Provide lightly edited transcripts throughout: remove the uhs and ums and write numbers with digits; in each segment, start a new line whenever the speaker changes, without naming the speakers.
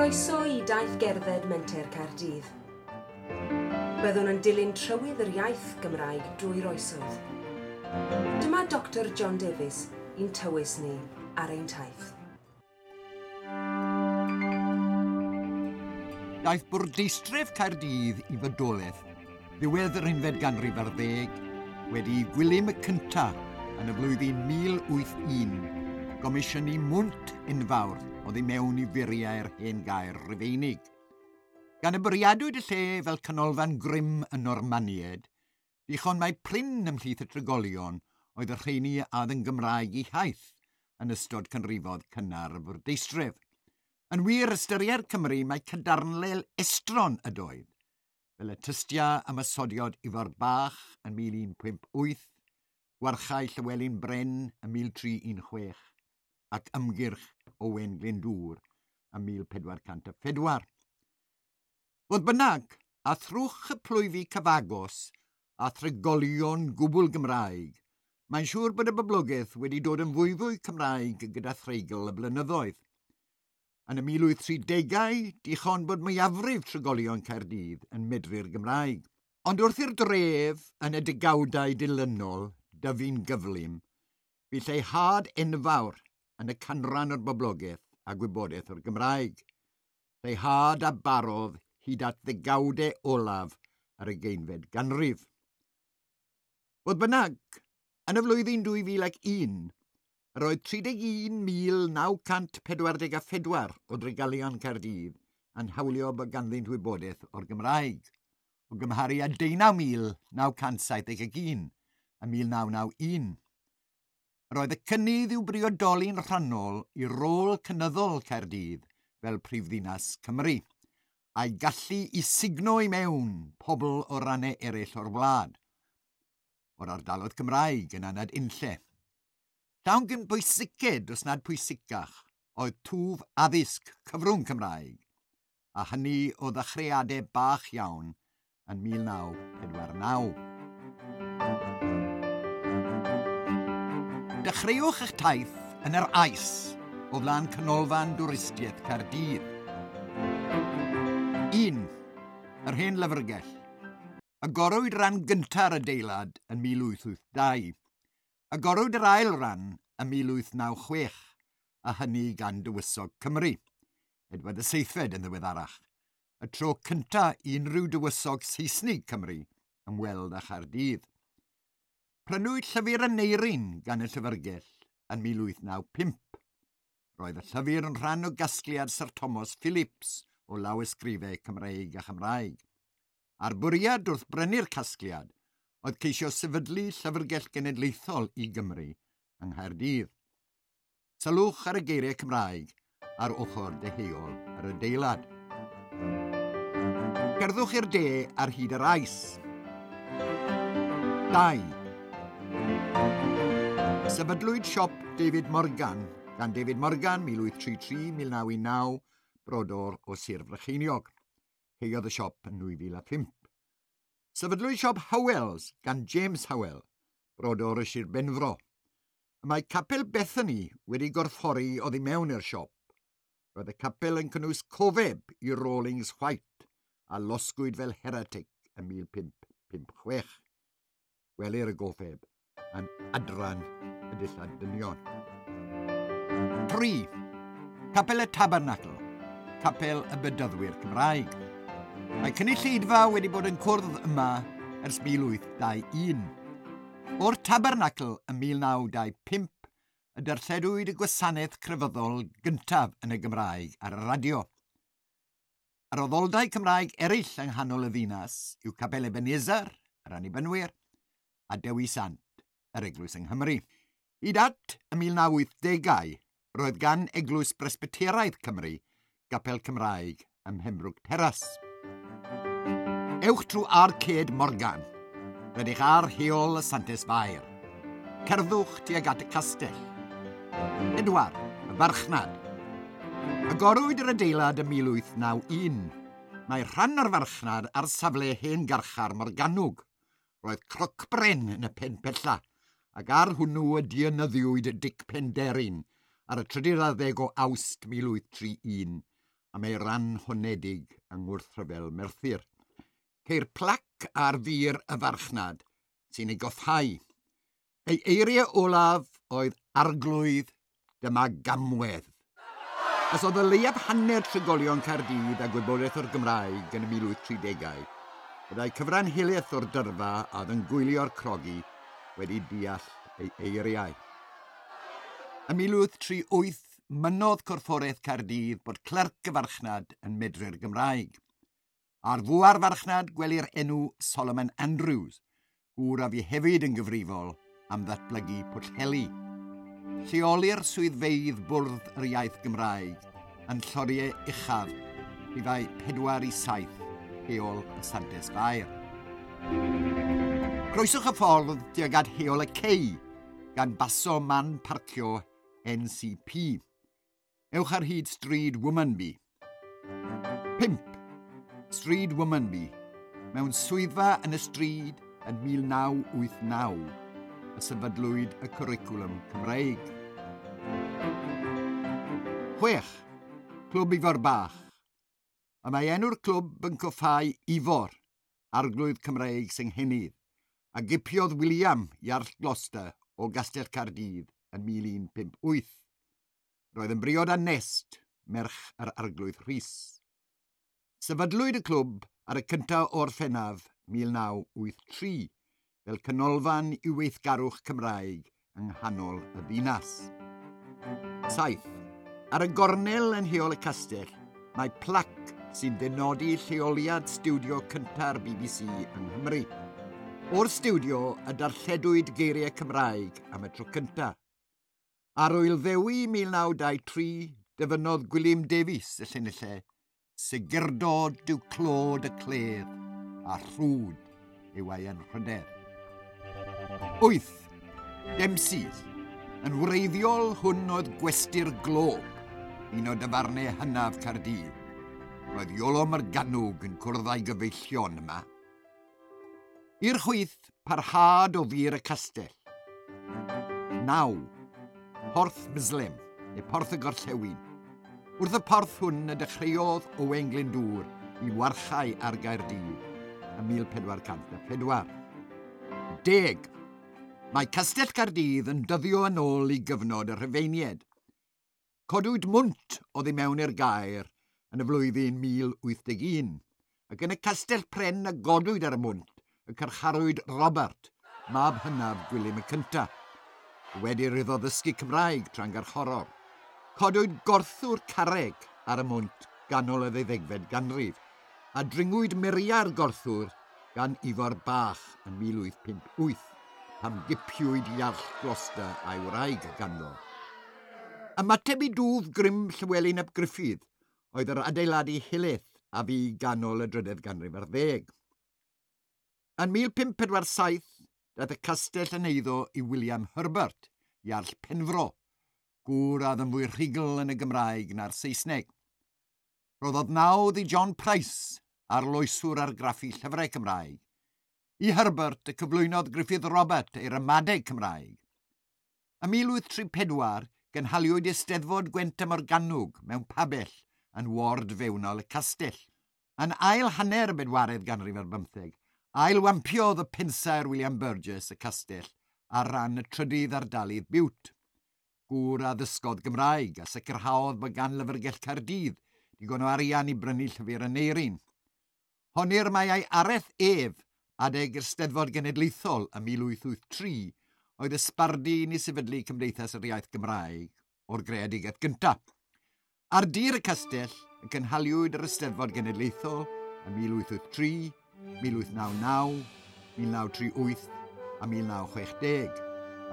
Croeso i daith gerdded Menter Caerdydd. Byddwn yn dilyn trywydd yr iaith Gymraeg drwy'r oesoedd. Dyma Dr John Davies i'n tywys ni ar ein taith.
Daeth bwrdeistref Caerdydd i fodolaeth ddiwedd yr unfed ganrif ar ddeg wedi i Gwilym y Cynta yn y flwyddyn 1081 gomisiynu mwnt enfawr oddi mewn i furiau'r hen gaer Rufeinig. Gan y bwriadwyd y lle fel canolfan grym y Normaniaid, dichon mai prin ymhlith y trigolion oedd y rheini a oedd yn Gymraeg eu hiaith yn ystod canrifoedd cynnar y fwrdeistref. Yn wir, ystyriai'r Cymry mai cadarnle estron ydoedd, fel y tystia ymosodiad Ifor Bach yn 1158, gwarchau Llywelyn Bren yn 1316 ac ymgyrch Owen Glyndŵr yn 1404. Fodd bynnag, a thrwch y plwyfi cyfagos a thrigolion gwbl Gymraeg, mae'n siŵr bod y boblogaeth wedi dod yn fwyfwy Cymraeg gyda threigl y blynyddoedd. Yn y 1830au, dichon bod mwyafrif trigolion Caerdydd yn medru'r Gymraeg. Ond wrth i'r dref yn y degawdau dilynol dyfu'n gyflym, bu lleihad enfawr yn y canran o'r boblogaeth a gwybodaeth o'r Gymraeg. Lleihad a barodd hyd at ddegawdau olaf yr ugeinfed ganrif. Fodd bynnag, yn y flwyddyn 2001, yr oedd 31,944 o drigolion Caerdydd yn hawlio bod ganddynt wybodaeth o'r Gymraeg, o gymharu â 19,971 yn 1991. Yr oedd y cynnydd i'w briodoli'n rhannol i rôl cynyddol Caerdydd fel prifddinas Cymru, a'i gallu i sugno i mewn pobl o rannau eraill o'r wlad, o'r ardaloedd Cymraeg yn anad unlle. Llawn gyn bwysiced, os nad pwysicach, oedd twf addysg cyfrwng Cymraeg, a hynny o ddechreuadau bach iawn yn 1949. Dechreuwch eich taith yn yr Ais o flaen Canolfan Dwristiaeth Caerdydd. 1. Yr hen lyfrgell. Agorwyd rhan gynta'r adeilad yn 1882. Agorwyd yr ail ran yn 1896, a hynny gan Dywysog Cymru, Edward y Seithfed yn ddiweddarach, y tro cynta i unrhyw dywysog Seisnig Cymru ymweld â Chaerdydd. Prynwyd llyfr Aneirin gan y llyfrgell yn 1895. Roedd y llyfr yn rhan o gasgliad Sir Thomas Phillips o lawysgrifau Cymreig a Chymraeg. A'r bwriad wrth brynu'r casgliad oedd ceisio sefydlu Llyfrgell Genedlaethol i Gymru yng Nghaerdydd. Sylwch ar y geiriau Cymraeg ar ochr deheuol yr adeilad. Cerddwch i'r de ar hyd yr Ais. 2. Sefydlwyd siop David Morgan gan David Morgan 1833-1919, brodor o Sir Frycheiniog. Caeodd y siop yn 2005. Sefydlwyd siop Howells gan James Howell, brodor o Sir Benfro. Y mae Capel Bethany wedi gorffori oddi mewn i'r siop. Roedd y capel yn cynnwys cofeb i Rawlings White a losgwyd fel heretic yn 1556. Gwelir y gofeb yn adran y dillad dynion. 3. Capel y Tabernacl, Capel y Bedyddwyr Cymraeg. Mae cynulleidfa wedi bod yn cwrdd yma ers 1821. O'r Tabernacl yn 1925 y darlledwyd y gwasanaeth crefyddol gyntaf yn y Gymraeg ar y radio. Yr addoldai Cymraeg eraill yng nghanol y ddinas yw Capel Ebenezer, yr Annibynwyr, a Dewi Sant, yr Eglwys yng Nghymru. Hyd at y 1980au, roedd gan Eglwys Bresbyteraidd Cymru gapel Cymraeg ym Mhembroke Terrace. Ewch trwy Arcade Morgan. Rydych ar Heol y Santes Fair. Cerddwch tuag at y castell. 4. Y farchnad. Agorwyd yr adeilad ym 1891. Mae rhan o'r farchnad ar safle hen garchar Morgannwg. Roedd crocbren yn y pen pella, ac ar hwnnw y dienyddiwyd Dic Penderyn ar y 13 o Awst 1831. am ei ran honedig yng ngwrthryfel Merthyr. Ceir plac ar fur y farchnad sy'n ei goffhau. Ei eiriau olaf oedd arglwydd dyma gamwedd. Os oedd y leiaf hanner trigolion Caerdydd a gwybodaeth o'r Gymraeg yn y 1830au, byddai cyfran helaeth o'r dyrfa a oedd yn gwylio'r crogi wedi deall ei eiriau. Ym 1838, mynnodd Corfforaeth Caerdydd bod clerc y farchnad yn medru'r Gymraeg. Ar fwa'r farchnad gwelir enw Solomon Andrews, gŵr a fu hefyd yn gyfrifol am ddatblygu Pwllheli. Lleolir swyddfeydd Bwrdd yr Iaith Gymraeg yn lloriau uchaf rhifau 4 i 7 Heol y Santes Fair. Croeswch y ffordd tuag at Heol y Cei gan baso man parcio NCP. Ewch ar hyd Stryd Womanby. 5. Stryd Womanby. Mewn swyddfa yn y stryd yn 1989 y sefydlwyd y cwricwlwm Cymreig. 6. Clwb Ifor Bach. Y mae enw'r clwb yn coffáu Ifor, arglwydd Cymreig Senghennydd, a gipiodd William Iarll Gloucester o Gastell Caerdydd yn 1158. Roedd yn briod â Nest, merch yr arglwydd Rhys. Sefydlwyd y clwb ar y cyntaf o Orffennaf 1983 fel canolfan i weithgarwch Cymraeg yng nghanol y ddinas. 7. Ar y gornel yn Heol y Castell, mae plac sy'n dynodi lleoliad stiwdio cynta'r BBC yng Nghymru. O'r stiwdio y darlledwyd geiriau Cymraeg am y tro cyntaf. Ar Ŵyl Ddewi 1923, dyfynnodd Gwilym Davies y llinellau Segurdod yw clod y cledd a rhwd yw ei anrhydedd. 8. Dempsey's. Yn wreiddiol hwn oedd Gwesty'r Glob, un o dafarnau hynaf Caerdydd. Roedd Iolo Morganwg yn cwrdd â'i gyfeillion yma. I'r chwith, parhad o fur y castell. 9. Porth Mislem, neu Porth y Gorllewin. Wrth y porth hwn y dechreuodd Owain Glyndŵr i warchau ar Gaerdydd ym 1404. 10. Mae Castell Caerdydd yn dyddio yn ôl i gyfnod y Rhufeiniaid. Codwyd mwnt oddi mewn i'r gaer yn y flwyddyn 1081, ac yn y castell pren a godwyd ar y mwnt y carcharwyd Robert, mab hynaf Gwilym y Cyntaf. Wedi iddo ddysgu Cymraeg tra'n garcharor. Codwyd gorthwr carreg ar y mwnt ganol y ddeuddegfed ganrif, a dringwyd muriau'r gorthwr gan Ifor Bach yn 1858, pan gipiwyd Iarll Gloucester a'i wraig ganddo. Ymateb i dwf grym Llywelyn ap Gruffydd oedd yr adeiladu helaeth a fu ganol y drydedd ganrif ar ddeg. Yn 1547, daeth y castell yn eiddo i William Herbert, Iarll Penfro, gŵr a oedd yn fwy rhugl yn y Gymraeg na'r Saesneg. Rhoddodd nawdd i John Price, arloeswr argraffu llyfrau Cymraeg. I Herbert y cyflwynodd Gruffydd Robert ei ramadeg Cymraeg. Ym 1834, gynhaliwyd Eisteddfod Gwent a Morgannwg mewn pabell yn ward fewnol y castell. Yn ail hanner y bedwaredd ganrif ar bymtheg, ailwampiodd y pensaer William Burgess y castell ar ran y trydydd ardalydd Biwt. Gŵr a ddysgodd Gymraeg a sicrhaodd bod gan Lyfrgell Caerdydd digon o arian i brynu llyfr Aneirin. Honir mai ei araith ef adeg yr Steddfod Genedlaethol ym 1883 oedd y sbardun i sefydlu Cymdeithas yr Iaith Gymraeg o'r greadigaeth gyntaf. Ar dir y castell y cynhaliwyd yr Eisteddfod Genedlaethol ym 1883, 1899, 1938 a 1960,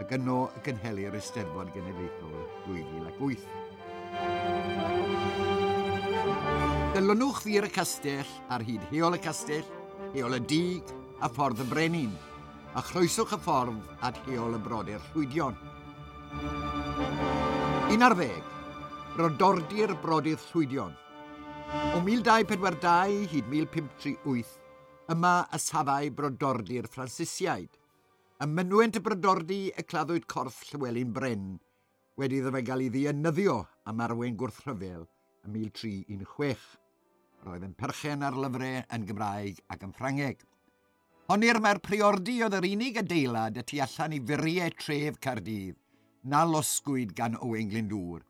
ac yno y cynhelir Eisteddfod Genedlaethol 2008. Dilynwch fur y castell ar hyd Heol y Castell, Heol y Dug a Ffordd y Brenin, a chroeswch y ffordd at Heol y Brodyr Llwydion. 11. Brodordy'r Brodyr Llwydion. O 1242 hyd 1538, yma y safai Brodordy'r Ffransisiaid. Ym mynwent y Brodordy y claddwyd corff Llywelyn Bren, wedi iddo fe gael ei ddienyddio am arwain gwrthryfel ym 1316. Roedd yn perchen ar lyfrau yn Gymraeg ac yn Ffrangeg. Honir mae'r priordy oedd yr unig adeilad y tu allan i furiau tref Caerdydd na losgwyd gan Owain Glyndŵr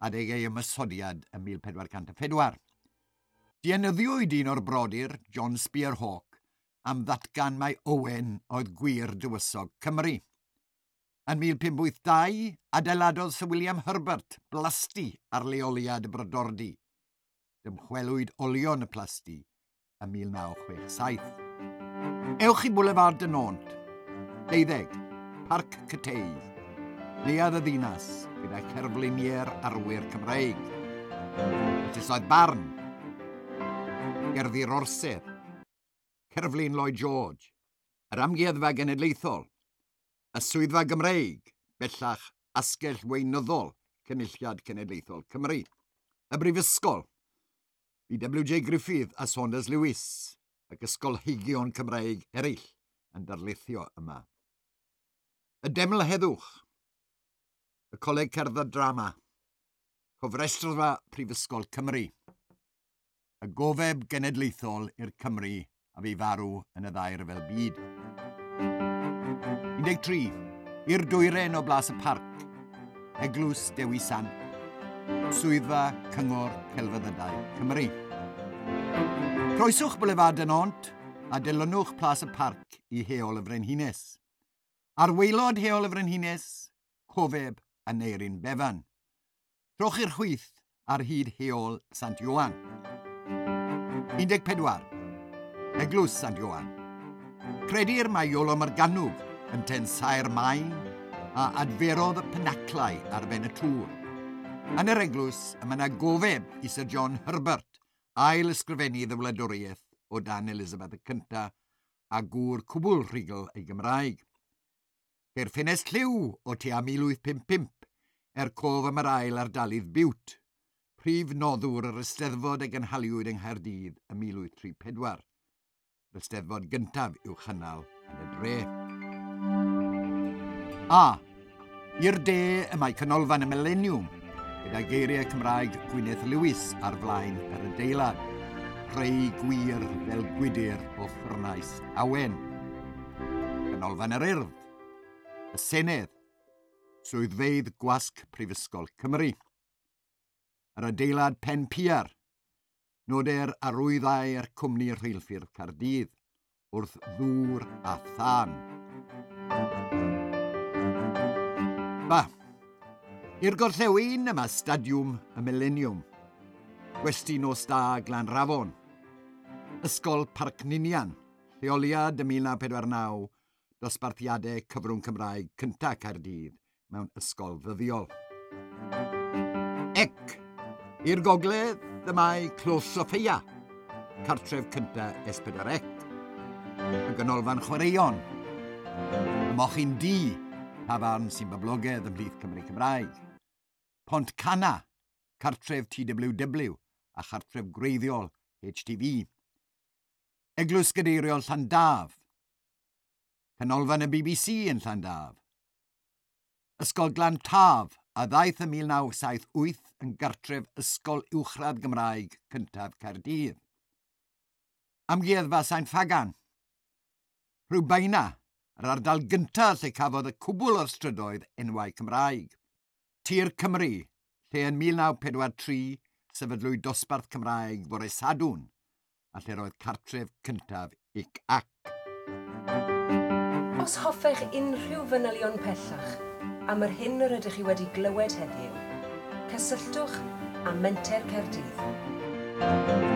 adeg ei ymosodiad ym 1404. Dienyddiwyd un o'r brodyr, John Spearhawk, am ddatgan mai Owen oedd gwir dywysog Cymru. Yn 1582, adeiladodd Sir William Herbert blasty ar leoliad y brodordy. Dymchwelwyd olion y plasty ym 1967. Ewch i Boulevard de Nantes, 12, Parc Cyteidd, Neuadd y Ddinas, gyda cherfluniau'r arwyr Cymreig. Llysoedd Barn, Gerddi'r Orsedd, Cerflun Lloyd George, yr Amgueddfa Genedlaethol, y Swyddfa Gymreig, bellach Asgell Weinyddol Cynulliad Cenedlaethol Cymru, y Brifysgol, bu W.J Griffith a Saunders Lewis ac ysgolheigion Cymreig eraill yn darlithio yma. Y Deml Heddwch, y Coleg Cerdd a Drama, Cofrestrfa Prifysgol Cymru, y gofeb genedlaethol i'r Cymry a fu farw yn y ddau ryfel byd. 13. I'r dwyren o Blas y Parc, Eglwys Dewi Sant, Swyddfa Cyngor Celfyddydau Cymru. Croeswch Boulevard de Nantes a dilynwch Plas y Parc i Heol y Frenhines. Ar waelod Heol y Frenhines, cofeb Aneurin Bevan. Trowch i'r chwith ar hyd Heol Sant Ioan. 14. Eglwys Sant Ioan. Credir mai Iolo Morgannwg yn tensaer maen a adferodd y penaclau ar ben y tŵr. Yn yr eglwys y mae yna gofeb i Sir John Herbert, ail ysgrifennydd y wladwriaeth o dan Elizabeth y Cyntaf a gŵr cwbl rhugl ei Gymraeg. Ceir ffenest lliw o tua 1855 er cof am yr ail ardalydd Bute, prif noddwr yr Eisteddfod a gynhaliwyd yng Nghaerdydd ym 1834. Yr Eisteddfod gyntaf i'w chynnal yn y dre. A. I'r de y mae Canolfan y Mileniwm, gyda geiriau Cymraeg Gwyneth Lewis ar flaen yr adeilad. Creu gwir fel gwydr o ffwrnais awen. Canolfan yr Urdd, y Senedd, Swyddfeydd Gwasg Prifysgol Cymru, yr adeilad Pen Pier, noder arwyddau'r cwmni rheilffyrdd Caerdydd wrth ddŵr a thân. Ba, i'r gorllewin yma Stadiwm y Mileniwm, Gwesty Nos Da Glanrafon, Ysgol Parc Ninian, Lleoliad ym 1949, dosbarthiadau cyfrwng Cymraeg cyntaf Caerdydd mewn ysgol ddyddiol. Ec, i'r gogledd y mae Clos Soffeia, cartref cyntaf S4C, y ganolfan chwaraeon, y Mochyn Du, tafarn sy'n boblogaidd ymhlith Cymry Cymraeg, Pont Canna, cartref TWW a chartref gwreiddiol HTV, Eglwys Gadeiriol Llandaf, Canolfan y BBC yn Llandaf, Ysgol Glan Taf a ddaeth ym 1978 yn gartref Ysgol Uwchradd Gymraeg cyntaf Caerdydd. Amgueddfa Sain Ffagan, Rhiwbeina, yr ardal gyntaf lle cafodd y cwbl o'r strydoedd enwau Cymraeg. Tir Cymru, lle yn 1943 sefydlwyd dosbarth Cymraeg fore Sadwrn, a lle roedd cartref cyntaf ic ac.
Os hoffech unrhyw fanylion pellach am yr hyn yr ydych chi wedi glywed heddiw, cysylltwch â Menter Caerdydd.